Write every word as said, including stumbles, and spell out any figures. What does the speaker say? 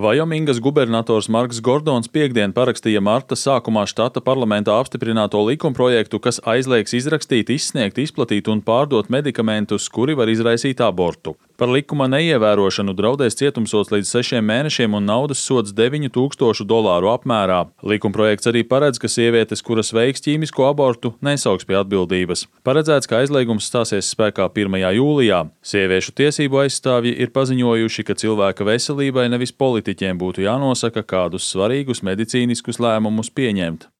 Vajomingas gubernators Marks Gordons piektdien parakstīja marta sākumā štata parlamentā apstiprināto likumprojektu, kas aizliegs izrakstīt, izsniegt, izplatīt un pārdot medikamentus, kuri var izraisīt abortu. Par likuma neievērošanu draudēs cietumsods līdz sešiem mēnešiem un naudas sods deviņu tūkstošu dolāru apmērā. Likumprojekts arī paredz, ka sievietes, kuras veiks ķīmisko abortu, nesauks pie atbildības. Paredzēts, ka aizliegums stāsies spēkā pirmajā jūlijā. Sieviešu tiesību aizstāvji ir paziņojuši, ka cilvēka veselībai nevis politiķiem būtu jānosaka, kādus svarīgus medicīniskus lēmumus pieņemt.